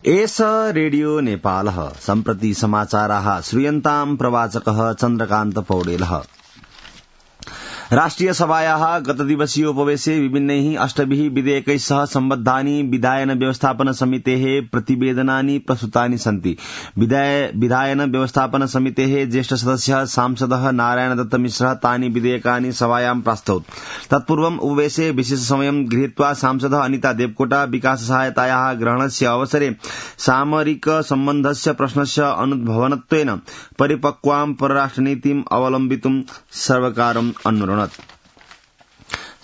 एष रेडियो नेपालः सम्प्रति समाचाराः श्रूयन्ताम् प्रवाचकः चन्द्रकान्त पौडेलः। राष्ट्रिय सभायाः गतदिवसीयोपवेशे विभिन्नैः अष्टभिः विधेयकैः सह सम्बद्धानि विधायन व्यवस्थापन समितेः प्रतिवेदनानि प्रस्तुतानि सन्ति। विधायन व्यवस्थापन समितेः ज्येष्ठ सदस्यः सांसदः नारायण दत्त मिश्रः तानि विधेयकानि सभायां प्रास्तौत्। तत्पूर्वम् उपवेशे विशेष समयं गृहीत्वा सांसदः अनिता देवकोटा विकास सहायतायाः ग्रहणस्य अवसरे सामरिक सम्बन्धस्य प्रश्नस्य अनुद्भवनत्वेन परिपक्वां परराष्ट्रनीतिम् अवलम्बितुं सर्वकारम् अनुरोधत्।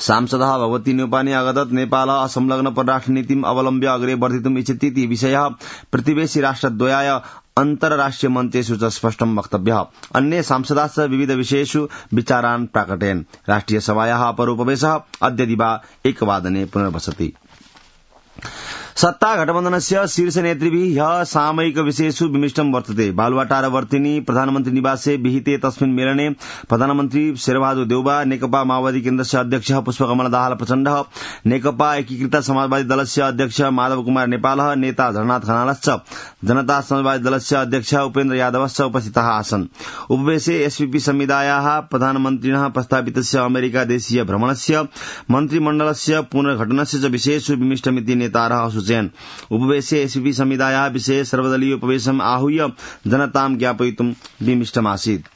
सांसदः भगवती न्यौपाने अगदत् नेपालः असंलग्न परराष्ट्रनीतिम् अवलम्ब्य अग्रे वर्धितुम् इच्छति विषयः प्रतिवेशी राष्ट्रद्वयाय अन्तर्राष्ट्रिय मञ्चेषु च स्पष्टं वक्तव्यः। अन्ये सांसदाश्च विविध विषयेषु विचारान् प्राकटयन्। राष्ट्रिय सभायाः अपरोपवेशः अद्य दिवा 1 वादने पुनर्वसति। सत्ता गठबन्धनस्य शीर्षनेतृभिः ह्यः सामयिक विषयेषु विमिष्टं वर्तते। बालुवाटारवर्तिनी प्रधानमन्त्री निवासे विहिते तस्मिन् मेलने प्रधानमन्त्री शेरबहादुर देउबा, नेकपा माओवादी केन्द्रस्य अध्यक्षः पुष्पकमल दाहाल प्रचण्डः, नेकपा एकीकृत समाजवादी दलस्य अध्यक्ष माधव कुमार नेपालः, नेता झरनाथ खनालश्च जनता समाजवादी दलस्य अध्यक्ष उपेन्द्र यादवश्च उपस्थिताः आसन्। उपवेशे एसपीपी संविदायाः प्रधानमन्त्रिणः प्रस्तावितस्य अमेरिका देशीय भ्रमणस्य मन्त्रिमण्डलस्य पुनर्गठनस्य च विषयेषु विमिष्टमिति नेतारः सूचयन्। उपवेशे एसपीपी संविदायाः विषये सर्वदलीय उपवेशम् आहूय जनतां ज्ञापयितुं विमिष्टमासीत्।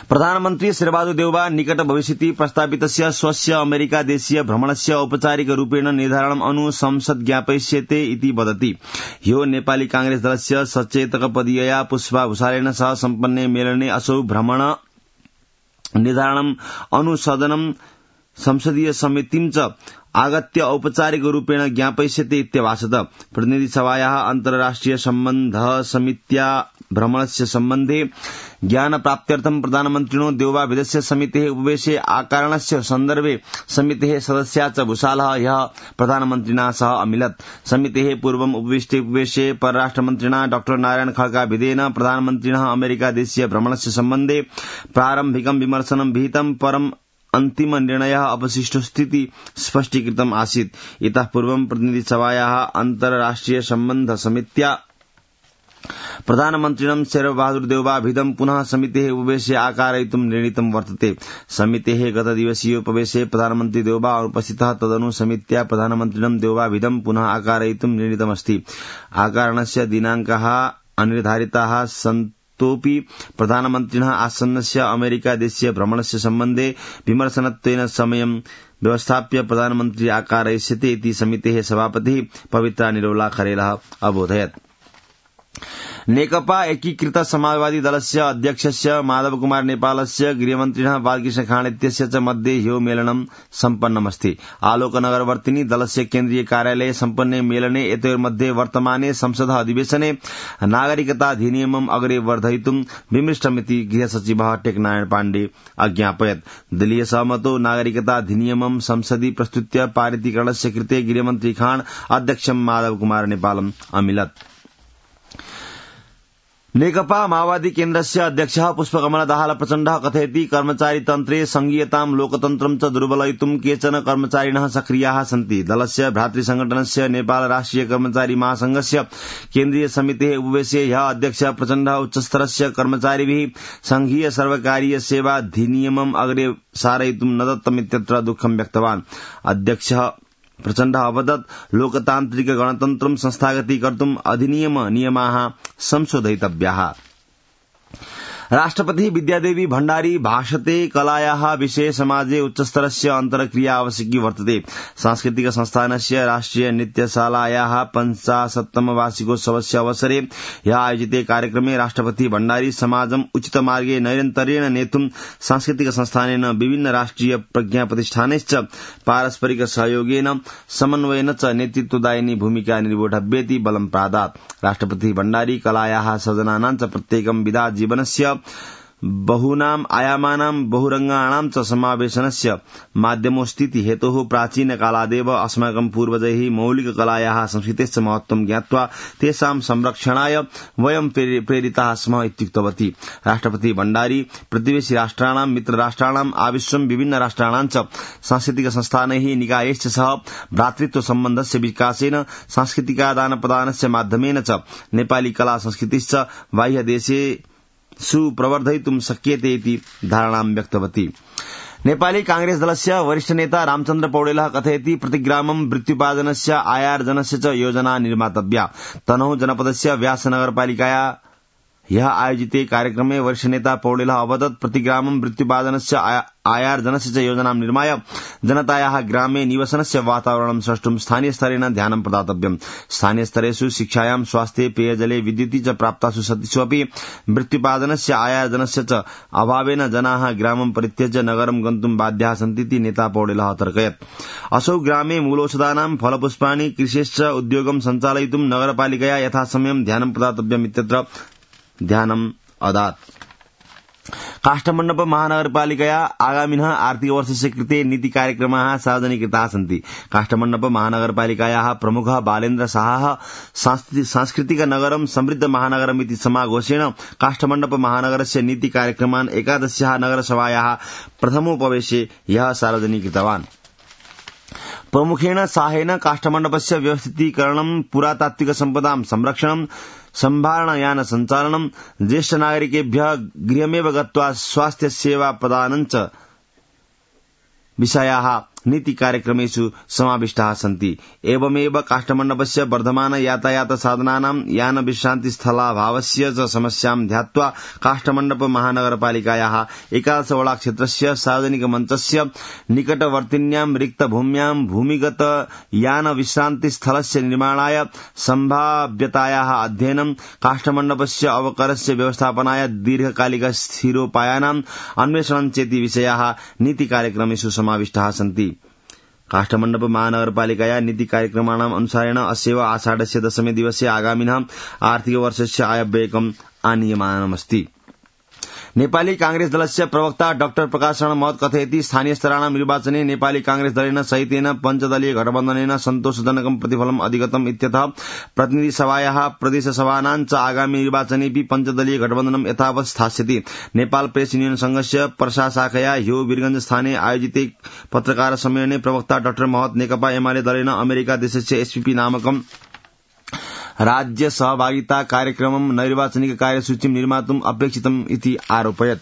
प्रधानमन्त्री शेरबहादुर देउबा निकट भविष्यति प्रस्तावितस्य स्वस्य अमेरिका देशीय भ्रमणस्य औपचारिक रूपेण निर्धारणम् अनु संसद् ज्ञापयिष्यते इति वदति। ह्यो नेपाली कांग्रेस दलस्य सचेतकपदीयया पुष्पा भूषालेन सह सम्पन्ने मेलने असौ भ्रमण निर्धारणम् अनु सदनं संसदीय समितिं च आगत्य औपचारिक रूपेण ज्ञापयिष्यते इत्यभाषत। प्रतिनिधि सभायाः अन्तर्राष्ट्रिय सम्बन्ध समित्या भ्रमणस्य सम्बन्धे ज्ञान प्राप्त्यर्थं प्रधानमन्त्रिणो देउबा विदेश्य समितेः उपवेशे आकारणस्य सन्दर्भे समितेः सदस्या च भूषालः ह्यः प्रधानमन्त्रिणा सह अमिलत्। समितेः पूर्वम् उपविष्टे उपवेशे परराष्ट्रमन्त्रिणा डॉ नारायण खड्का विधेन प्रधानमन्त्रिणः अमेरिका देशीय भ्रमणस्य सम्बन्धे प्रारम्भिकं विमर्शनं विहितं, परम् अन्तिम निर्णयः अवशिष्टोऽस्तीति स्पष्टीकृतम् आसीत्। इतः पूर्वं प्रतिनिधि सभायाः अन्तर्राष्ट्रिय सम्बन्ध समित्या प्रधानमन्त्रिणं शेरबहादुर देउबा भिदं पुनः समितेः उपवेशे आकारयितुं निर्णीतं वर्तते। समितेः गतदिवसीय उपवेशे प्रधानमन्त्री देउबा अनुपस्थितः, तदनु समित्या प्रधानमन्त्रिणं देउबा भिदं पुनः आकारयितुं निर्णीतमस्ति। आकारणस्य दिनाङ्कः अनिर्धारिताः तोपि प्रधानमन्त्रिणः आसन्नस्य अमेरिका देशीय भ्रमणस्य सम्बन्धे विमर्शनत्वेन समयं व्यवस्थाप्य प्रधानमन्त्री आकारयिष्यते इति समितेः सभापतिः पवित्रा निरौला खरेलः अबोधयत्। नेकपा एकीकृत समाजवादी दलस्य अध्यक्षस्य माधव कुमार नेपालस्य गृहमन्त्रिणः बालकृष्ण खाँड इत्यस्य च मध्ये ह्यो मेलनं सम्पन्नमस्ति। आलोकनगरवर्तिनी दलस्य केन्द्रीय कार्यालये सम्पन्ने मेलने एतयोर्मध्ये वर्तमाने संसदः अधिवेशने नागरिकताधिनियमम् अग्रे वर्धयितुं विमृष्टमिति गृहसचिवः टेकनारायण पाण्डे अज्ञापयत्। दलीय सहमतो नागरिकताधिनियमं संसदि प्रस्तुत्य पारितीकरणस्य कृते गृहमन्त्री खाँड अध्यक्षं माधव कुमार नेपालम् अमिलत्। नेकपा माओवादी केन्द्रस्य अध्यक्षः पुष्पकमल दाहाल प्रचण्डः कथयति, कर्मचारीतन्त्रे संघीयतां लोकतन्त्रं च दुर्बलयितुं केचन कर्मचारिणः सक्रियाः सन्ति। दलस्य भ्रातृसंगठनस्य नेपाल राष्ट्रिय कर्मचारी महासंघस्य केन्द्रीय समितेः उपवेशे ह्यः अध्यक्षः प्रचण्डः उच्चस्तरस्य कर्मचारिभिः संघीय सर्वकारीय सेवाधिनियमम् अग्रे सारयितुं न दत्तमित्यत्र दुःखं व्यक्तवान्। अध्यक्षः प्रचण्डः अवदत्, लोकतान्त्रिक गणतन्त्रं संस्थागतीकर्तुम् अधिनियम नियमाः संशोधयितव्याः। राष्ट्रपतिः विद्यादेवी भण्डारी भाषते कलायाः विषये समाजे उच्चस्तरस्य अन्तर्क्रिया आवश्यकी वर्तते। सांस्कृतिक संस्थानस्य राष्ट्रिय नृत्यशालायाः 50तम वार्षिकोत्सवस्य अवसरे ह्यः आयोजिते कार्यक्रमे राष्ट्रपति भण्डारी समाजम् उचित मार्गे नैरन्तर्येण नेतुं सांस्कृतिक संस्थानेन विभिन्न राष्ट्रिय प्रज्ञाप्रतिष्ठानैश्च पारस्परिक सहयोगेन समन्वयेन च नेतृत्वदायिनी भूमिका निर्वोढव्येति बलं प्रादात्। राष्ट्रपति भण्डारी कलायाः सृजनानां च प्रत्येकं विधा जीवनस्य बहूनाम् आयामानां बहुरंगाणां च समावेशनस्य माध्यमोऽस्तीति हेतोः प्राचीनकालादेव अस्माकं पूर्वजैः मौलिककलायाः संस्कृतेश्च महत्त्वं ज्ञात्वा तेषां संरक्षणाय वयं प्रेरिताः स्मः इत्युक्तवती। राष्ट्रपति भण्डारी प्रतिवेशि राष्ट्राणां मित्रराष्ट्राणां आविश्वं विभिन्न राष्ट्राणां च सांस्कृतिक संस्थानैः निकायैश्च सह भ्रातृत्व सम्बन्धस्य विकासेन सांस्कृतिकादानप्रदानस्य माध्यमेन च नेपाली कला संस्कृतिश्च बाह्यदेशे सुप्रवर्धयितुं शक्यते इति धारणां व्यक्तवती। नेपाली कांग्रेस दलस्य वरिष्ठ नेता रामचन्द्र पौडेलः कथयति प्रतिग्रामं मृत्युपादनस्य आयार्जनस्य च योजना निर्मातव्या। तनहुँ जनपदस्य व्यास नगरपालिकाया ह्यः आयोजिते कार्यक्रमे वरिष्ठ नेता पौडेलः अवदत् प्रतिग्रामं मृत्युपादनस्य आयार्जनस्य च योजनां निर्माय जनतायाः ग्रामे निवसनस्य वातावरणं सृष्टुं स्थानीयस्तरेण ध्यानं प्रदातव्यम्। स्थानीयस्तरेषु शिक्षायां स्वास्थ्ये पेयजले विद्युति च प्राप्तासु सतिषु अपि मृत्युपादनस्य आयार्जनस्य च अभावेन जनाः ग्रामं परित्यज्य नगरं गन्तुं बाध्याः सन्तीति नेता पौडेलः अतर्कयत्। असौ ग्रामे मूलौषधानां फलपुष्पाणि कृषेश्च उद्योगं सञ्चालयितुं नगरपालिकया यथासमयं ध्यानं प्रदातव्यम् इत्यत्र ध्यानम् अदात्। काष्ठमण्डप महानगरपालिकया आगामिनः आर्थिकवर्षस्य कृते नीतिकार्यक्रमाः सार्वजनिकृताः सन्ति। काष्ठमण्डप महानगरपालिकायाः प्रमुखः बालेन्द्र साहः सांस्कृतिकनगरं समृद्ध महानगरमिति समाघोषेण काष्ठमण्डप महानगरस्य नीतिकार्यक्रमान् 11 नगरसभायाः प्रथमोपवेशे ह्यः सार्वजनीकृतवान्। प्रमुखेण साहेन काष्ठमण्डपस्य व्यवस्थितीकरणं, पुरातात्विक सम्पदां संरक्षणं, सम्भारणयान सञ्चालनं, ज्येष्ठ नागरिकेभ्यः गृहमेव गत्वा स्वास्थ्य सेवा प्रदानं च विषयाः नीतिकार्यक्रमेषु समाविष्टाः सन्ति। एवमेव काष्ठमण्डपस्य वर्धमान यातायात साधनानां यान विश्रान्तिस्थलाभावस्य च समस्यां ध्यात्वा काष्ठमण्डप महानगरपालिकायाः 11 वडा क्षेत्रस्य सार्वजनिक मञ्चस्य निकटवर्तिन्यां रिक्तभूम्यां भूमिगत यान विश्रान्तिस्थलस्य निर्माणाय सम्भाव्यतायाः अध्ययनं, काष्ठमण्डपस्य अवकरस्य व्यवस्थापनाय दीर्घकालिक स्थिरोपायानां अन्वेषणं चेति विषयाः नीतिकार्यक्रमेषु समाविष्टाः सन्ति। काष्ठमण्डप महानगरपालिकाया नीतिकार्यक्रमाणाम् अनुसारेण अस्यैव आषाढस्य 10मे दिवसे आगामिनः आर्थिकवर्षस्य आयव्ययकम् आनीयमानमस्ति। नेपाली कांग्रेस दलस्य प्रवक्ता डाक्टर प्रकाश शरण महत कथयति स्थानीयस्तराणां निर्वाचने नेपाली कांग्रेस दलेन सहितेन पञ्चदलीय गठबन्धनेन सन्तोषजनकं प्रतिफलम् अधिगतम् इत्यतः प्रतिनिधि सभायाः प्रदेशसभानां च आगामी निर्वाचनेऽपि पञ्चदलीय गठबन्धनं यथावत् स्थास्यति। नेपाल प्रेस युनियन संघस्य प्रशाशाखया ह्यो वीरगंज स्थाने आयोजिते पत्रकार सम्मेलने प्रवक्ता डाक्टर महत नेकपा एमाले दलेन अमेरिका देशस्य एसपीपी नामकं राज्य सहभागिता कार्यक्रमं नैर्वाचनिक कार्यसूचीं निर्मातुम् अपेक्षितम् इति आरोपयत्।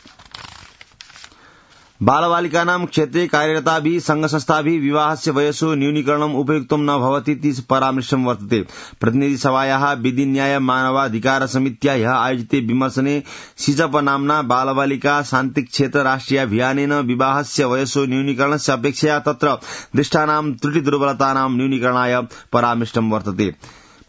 बालबालिकानां क्षेत्रे कार्यरताभिः संघसंस्थाभिः विवाहस्य वयसो न्यूनीकरणम् उपयुक्तं न भवतीति परामर्शं वर्तते। प्रतिनिधिसभायाः विधि न्याय मानवाधिकार समित्या ह्यः आयोजिते विमर्शने सिजप नाम्ना बालबालिका शान्ति क्षेत्र राष्ट्रियाभियानेन विवाहस्य वयसो न्यूनीकरणस्य अपेक्षया तत्र दृष्टानां त्रुटिदुर्बलतानां न्यूनीकरणाय परामर्शं वर्तते।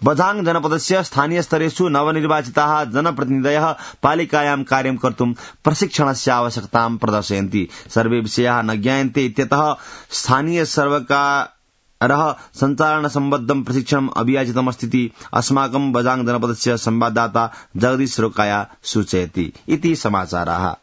बझाङ जनपदस्य स्थानीयस्तरेषु नवनिर्वाचिताः जनप्रतिनिधयः पालिकायां कार्यं कर्तुं प्रशिक्षणस्य आवश्यकतां प्रदर्शयन्ति। सर्वे विषयाः न ज्ञायन्ते इत्यतः स्थानीय सर्वकारः सञ्चालनसम्बद्धं प्रशिक्षणम् अभियाचितमस्तीति अस्माकं बझाङ जनपदस्य संवाददाता जगदीश रोकाया सूचयति। इति समाचाराः।